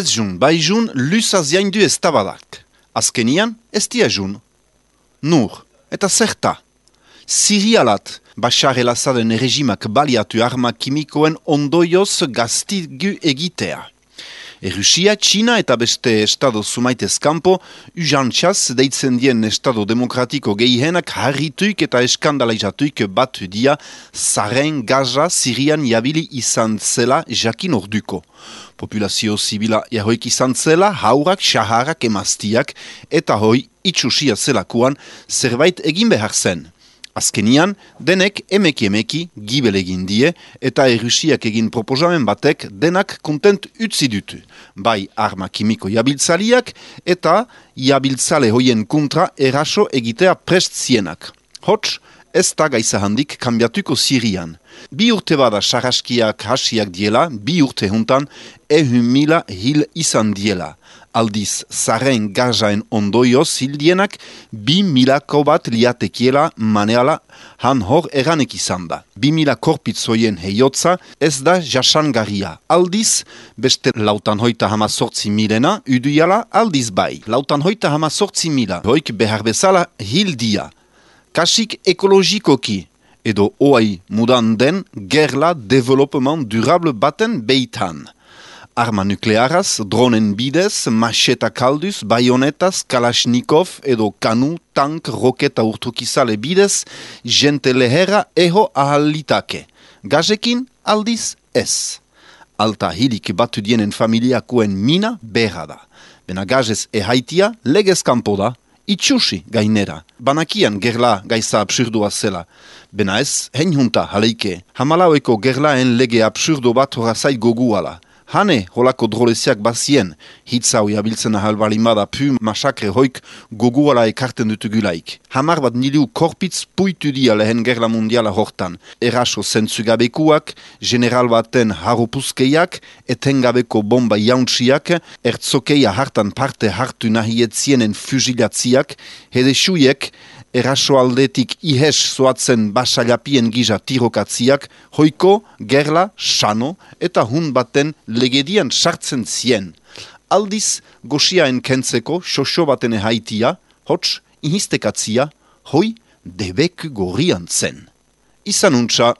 Ez jun, bai jun, lusaz jaindu ez tabadak. Azkenian, ez dia jun. Nur, eta zerta. Sirialat, Bashar el-Assaden regimak baliatu arma kimikoen ondoioz gaztigu egitea. Rusia, Txina eta beste estado sumaitez kanpo, ujantxaz deitzen dien estado demokratiko gehienak harrituik eta eskandalaizatuik batu dia zaren Gaza Sirian jabili izan zela jakin orduko. Populazio zibila jahoik izan zela, haurak, saharak, emaztiak eta hoi itxusia zelakuan zerbait egin behar zen. Azkenian, denek emeki gibel egin die eta Rusiak egin proposamen batek denak kontent utzi dutu. Bai arma kimiko jabiltzaliak eta jabiltzale hoien kontra eraso egitea prest zienak. Hots, ez da gaiza handik kanbiatuko Sirian. 2 urte bada sarraskiak hasiak diela, 2 urte juntan 100.000 hil izan diela. Aldiz, zaren Gazaen ondoioz hildienak 2.000 bat liatekiela maneala han hor eranek izan da. 2.000 korpitzoien heiotza ez da jasangarria. Aldiz, beste 650.000 uduiala aldiz bai. 650.000 hoik behar bezala hildia. Kasik ekologikoki edo oai mudan den gerla development durable baten beitan. Arma nuklearaz, dronen bidez, macheta kalduz, baionetaz, kalashnikov edo kanu, tank, roketa urtukizale bidez, jente lehera eho ahalitake. Gazekin aldiz ez. Alta hilik batu dienen familiakoen mina berra da. Bena gazez ehaitia legez kanpo da, itxusi gainera. Banakian gerla gaiza absurdua zela. Bena ez, hein junta haleike. Hamalaueko gerlaen lege absurdo bat horazai goguala. Hane, holako droleziak bazien, hitzau jabiltzen ahalbalimada pu masakre hoik goguala ekarten dutugulaik. 10 bat niliu korpitz puitu dia lehen gerla mundiala hortan. Eraso zentzugabekuak, general baten haropuzkeiak, etengabeko bomba jauntsiak, ertzokeia hartan parte hartu nahietzienen fusilatziak, hedesuiek, eraso aldetik ihes zoatzen basalapien giza tirokatziak, hoiko, gerla, sano eta hun baten legedian sartzen zien. Aldiz, goxiaen kentzeko xoxo baten haitia, hots, inhistekatzia, hoi, debek gorrian zen. Izan untsa.